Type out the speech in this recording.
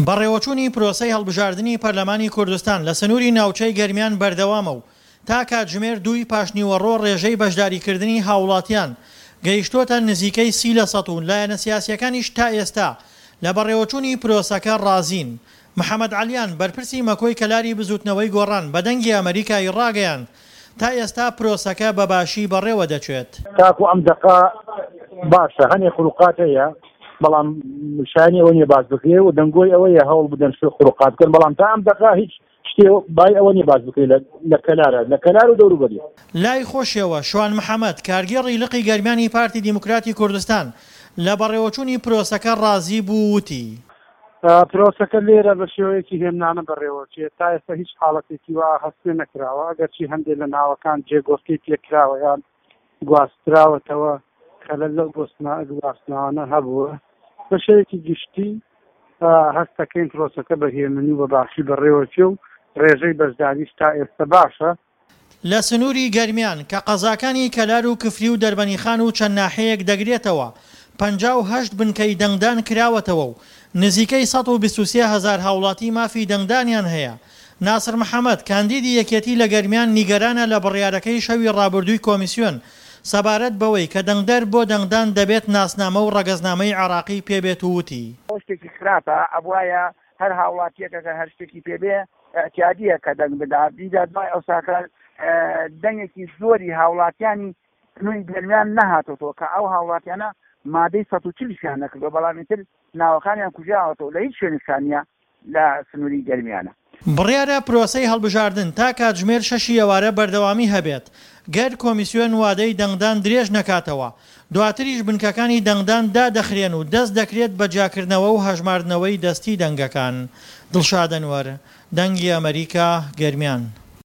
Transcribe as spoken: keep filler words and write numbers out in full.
بەڕێوەچوونی پرۆسەی هەڵبژاردنی پەرلەمانی کوردستان لە سنووری ناوچەی گەرمیان بەردەوامە و تا کاتژمێر دووی پاشنیوەڕۆ ڕێژەی بەشداریکردنی هاوڵاتیان گەیشتووەتە نزیکەی سی لە سەد و لایەنە سیاسییەکانیش تا ئێستا لە بەڕێوەچوونی پرۆسەکە ڕازین. محەمەد عەلیان، بەرپرسی مەکۆی کەلاری بزوتنەوەی گۆڕان بە دەنگی ئەمەریکای ڕاگەیاند، تا ئێستا پرۆسەکە بە باشی بەڕێوە دەچێت. تاکو ئەم دەقە باشە، هەنێ خروقات هەیە، بەڵام شایانی ئەوە نییە باس بکرێ و دەنگۆی ئەوەیە هەوڵ بدەن شتێ خروقات بکەن، بەڵام تا ئەم دەقە هیچ شتێ بای ئەوە نییە باس بکرێ لە کەلارە، لە کەلار و دەوروبەری. لای خۆشیەوە شوان محەمەد، کارگێڕی لقی گەرمیانی پارتی دیموکراتی کوردستان لە بەڕێوەچوونی پرۆسەکە ڕازی بوو وتی. پرۆسەکە لێرە بە شێوەیەکی هێمنانە بەڕێوەچێت، تا ئێستا هیچ حاڵەتێکی وا هەست پێ نەکراوە، ئەگەرچی هەندێک لە ناوەکان جێگۆڕکەی پێکراوە یان گواستراوەتەوە، خەلەل لەو گواستنەوانە هەبووە. بە شێوەیەکی گشتی هەست دەکەین پرۆسەکە بە هێمنی و بە باشی بەڕێوەچێ و ڕێژەی بەشداریش تا ئێستا باشە. لە سنووری گەرمیان کە قەزاکانی کەلار و کفری و دەربەنیخان و چەند ناحیەیەک دەگرێتەوە، پەنجا و هەشت بنکەی دەنگدان کراوەتەوە و نزیکەی سەد و بیست و سێ هەزار هاوڵاتی مافی دەنگدانیان هەیە. ناسر محەمەد، کاندیدی یەکێتی لە گەرمیان نیگەرانە لە بڕیارەکەی شەوی ڕابردووی کۆمیسیۆن سەبارەت بەوەی کە دەنگدەر بۆ دەنگدان دەبێت ناسنامە و ڕەگەزنامەی عێراقی پێبێت و وتی. ئەوە شتێکی خراپە، ئەبوایە هەر هاوڵاتیەک ئەگەر هەر شتێکی پێبێ ئیعتیادیە کە دەنگ بدات، دیجا دوای ئەوساکە دەنگێکی زۆری هاوڵاتیانی سنووری گەرمیان نەهاتۆتەوە کە ئەو هاوڵاتیانە مادەی سەد و چل شیان نەکردووە، بەڵام ئیتر ناوەکانیان کوژراوەتەوە لە هیچ شوێنێکشان نییە لە سنووری گەرمیانە. بڕیارە پرۆسەی هەڵبژاردن تا کاتژمێر شەشی ئێوارە بەردەوامی هەبێت، گەر کۆمیسیۆن وادەی دەنگدان درێژ نەکاتەوە، دواتریش بنکەکانی دەنگدان دادەخرێن و دەست دەکرێت بە جیاکردنەوە و هەژماردنەوەی دەستی دەنگەکان. دڵشاد ئەنوەر، دەنگی ئەمەریکا، گەرمیان.